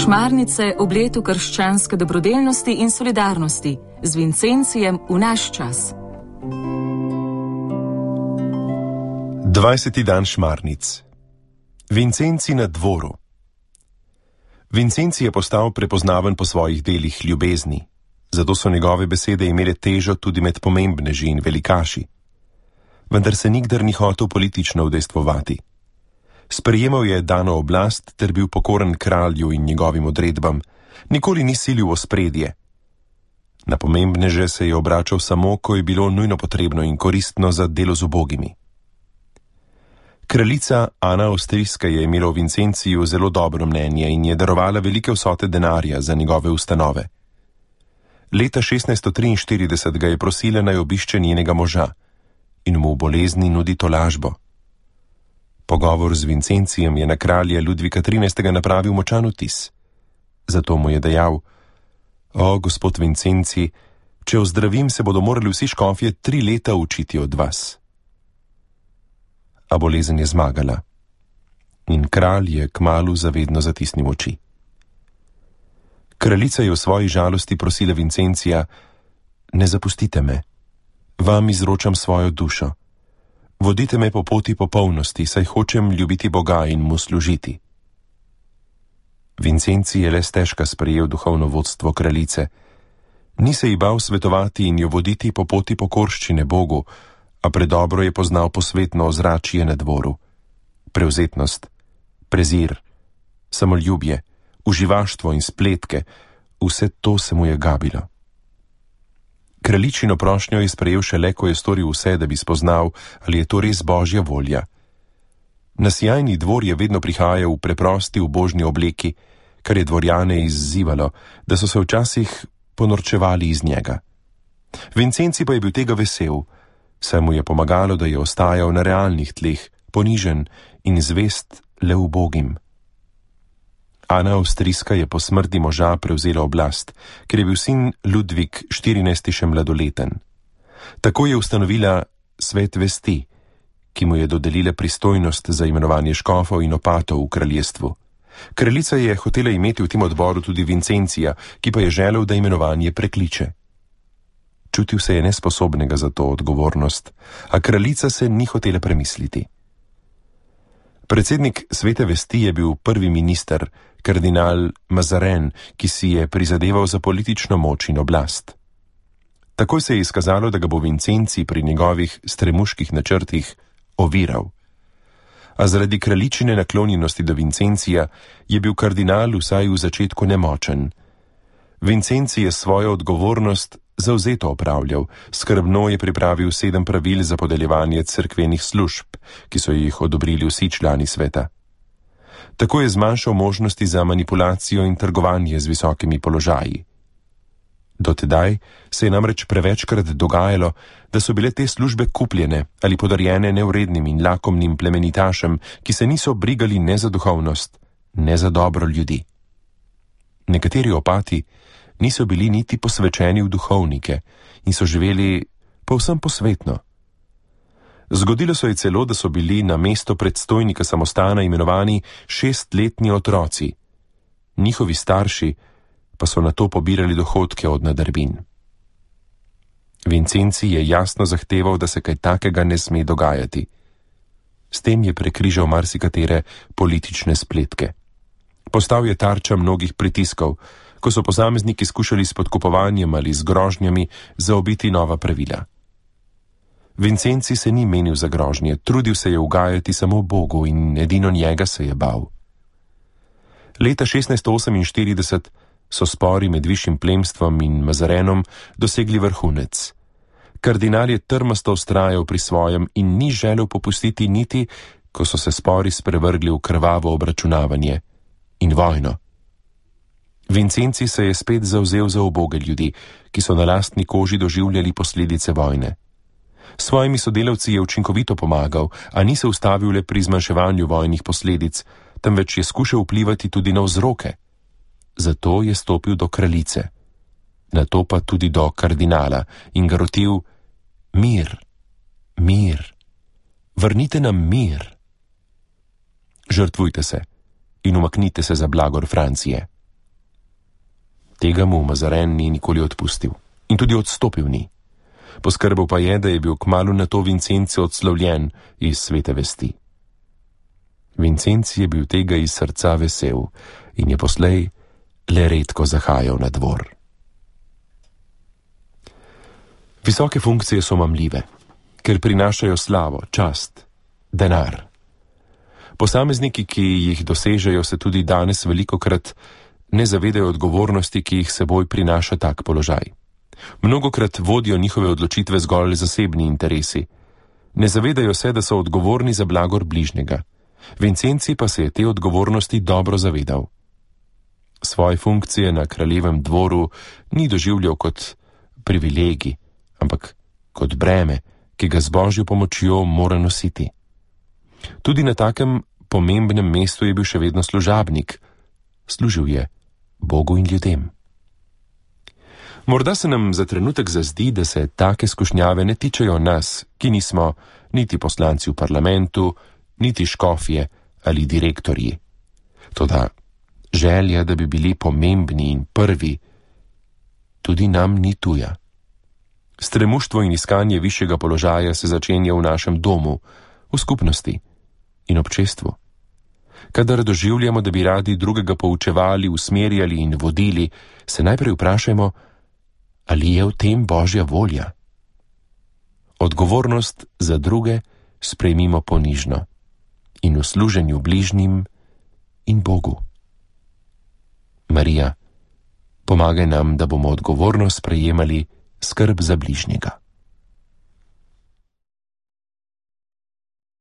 Šmarnice ob letu krščanske dobrodelnosti in solidarnosti z Vincencijem v naš čas. 20. dan Šmarnic. Vincenci na dvoru. Vincenci je postal prepoznaven po svojih delih ljubezni, zato so njegove besede imele težo tudi med pomembneži in velikaši. Vendar se nikdar ni hotel politično udejstvovati. Sprejemal je dano oblast ter bil pokoren kralju in njegovim odredbam, nikoli ni silil v ospredje. Na pomembneže se je obračal samo, ko je bilo nujno potrebno in koristno za delo z ubogimi. Kraljica Ana Avstrijska je imela o Vincenciju zelo dobro mnenje in je darovala velike vsote denarja za njegove ustanove. Leta 1643 ga je prosila, naj obišče njenega moža in mu v bolezni nudi tolažbo. Pogovor z Vincencijem je na kralja Ludvika XIII. Napravil močan vtis. Zato mu je dejal: O, gospod Vincenci, če ozdravim, se bodo morali vsi škofje 3 leta učiti od vas. A bolezen je zmagala in kralj je kmalu zavedno zatisnil oči. Kraljica je v svoji žalosti prosila Vincencija: Ne zapustite me, vam izročam svojo dušo. Vodite me po poti popolnosti, saj hočem ljubiti Boga in mu služiti. Vincenci je le stežka sprejel duhovno vodstvo kraljice. Ni se ji bal svetovati in jo voditi po poti pokorščine Bogu, a predobro je poznal posvetno ozračje na dvoru. Prevzetnost, prezir, samoljubje, uživaštvo in spletke, vse to se mu je gabilo. Kraljičino prošnjo je sprejel šele, ko je storil vse, da bi spoznal, ali je to res božja volja. Na sijajni dvor je vedno prihajal v preprosti ubožni obleki, kar je dvorjane izzivalo, da so se včasih ponorčevali iz njega. Vincenci pa je bil tega vesel, saj mu je pomagalo, da je ostajal na realnih tleh, ponižen in zvest le ubogim. Ana Avstrijska je po smrti moža prevzela oblast, ker je bil sin Ludvik XIV. Še mladoleten. Tako je ustanovila svet vesti, ki mu je dodelila pristojnost za imenovanje škofov in opatov v kraljestvu. Kraljica je hotela imeti v tem odboru tudi Vincencija, ki pa je želel, da imenovanje prekliče. Čutil se je nesposobnega za to odgovornost, a kraljica se ni hotela premisliti. Predsednik svete vesti je bil prvi minister, kardinal Mazarin, ki si je prizadeval za politično moč in oblast. Takoj se je izkazalo, da ga bo Vincenci pri njegovih stremuških načrtih oviral. A zaradi kraljičine naklonjenosti do Vincencija je bil kardinal vsaj v začetku nemočen. Vincenci je svojo odgovornost zavzeto opravljal, skrbno je pripravil 7 pravil za podeljevanje cerkvenih služb, ki so jih odobrili vsi člani sveta. Tako je zmanjšal možnosti za manipulacijo in trgovanje z visokimi položaji. Dotedaj se je namreč prevečkrat dogajalo, da so bile te službe kupljene ali podarjene nevrednim in lakomnim plemenitašem, ki se niso brigali ne za duhovnost, ne za dobro ljudi. Nekateri opati niso bili niti posvečeni v duhovnike in so živeli povsem posvetno. Zgodilo se je celo, da so bili na mesto predstojnika samostana imenovani 6-letni otroci. Njihovi starši pa so na to pobirali dohodke od nadrbin. Vincenci je jasno zahteval, da se kaj takega ne sme dogajati. S tem je prekrižal marsikatere politične spletke. Postal je tarča mnogih pritiskov, ko so posamezniki skušali s podkupovanjem ali z grožnjami zaobiti nova pravila. Vincenci se ni menil za grožnje, trudil se je ugajati samo Bogu in edino njega se je bal. Leta 1648 so spori med višjim plemstvom in Mazarenom dosegli vrhunec. Kardinal je trmasto vztrajal pri svojem in ni želel popustiti niti, ko so se spori sprevrgli v krvavo obračunavanje in vojno. Vincenci se je spet zavzel za uboge ljudi, ki so na lastni koži doživljali posledice vojne. Svojimi sodelavci je učinkovito pomagal, a ni se ustavil le pri zmanjševanju vojnih posledic, temveč je skušal vplivati tudi na vzroke. Zato je stopil do kraljice, nato pa tudi do kardinala in ga rotil: mir, mir, vrnite nam mir. Žrtvujte se in umaknite se za blagor Francije. Tega mu Mazaren ni nikoli odpustil in tudi odstopil ni. Poskrbel pa je, da je bil kmalu nato Vincenzi odslovljen iz Svete vesti. Vincenzi je bil tega iz srca vesel in je poslej le redko zahajal na dvor. Visoke funkcije so mamljive, ker prinašajo slavo, čast, denar. Posamezniki, ki jih dosežejo, se tudi danes velikokrat ne zavedajo odgovornosti, ki jih seboj prinaša tak položaj. Mnogokrat vodijo njihove odločitve zgolj zasebni interesi. Ne zavedajo se, da so odgovorni za blagor bližnjega. Vincenzi pa se je te odgovornosti dobro zavedal. Svoje funkcije na kraljevem dvoru ni doživljal kot privilegij, ampak kot breme, ki ga z Božjo pomočjo mora nositi. Tudi na takem pomembnem mestu je bil še vedno služabnik. Služil je Bogu in ljudem. Morda se nam za trenutek zazdi, da se take skušnjave ne tičejo nas, ki nismo niti poslanci v parlamentu, niti škofje ali direktorji. Toda želja, da bi bili pomembni in prvi, tudi nam ni tuja. Stremuštvo in iskanje višjega položaja se začenja v našem domu, v skupnosti in občestvu. Kadar doživljamo, da bi radi drugega poučevali, usmerjali in vodili, se najprej vprašajmo, ali je v tem Božja volja. Odgovornost za druge sprejmimo ponižno in v služenju bližnjim in Bogu. Marija, pomagaj nam, da bomo odgovornost sprejemali skrb za bližnjega.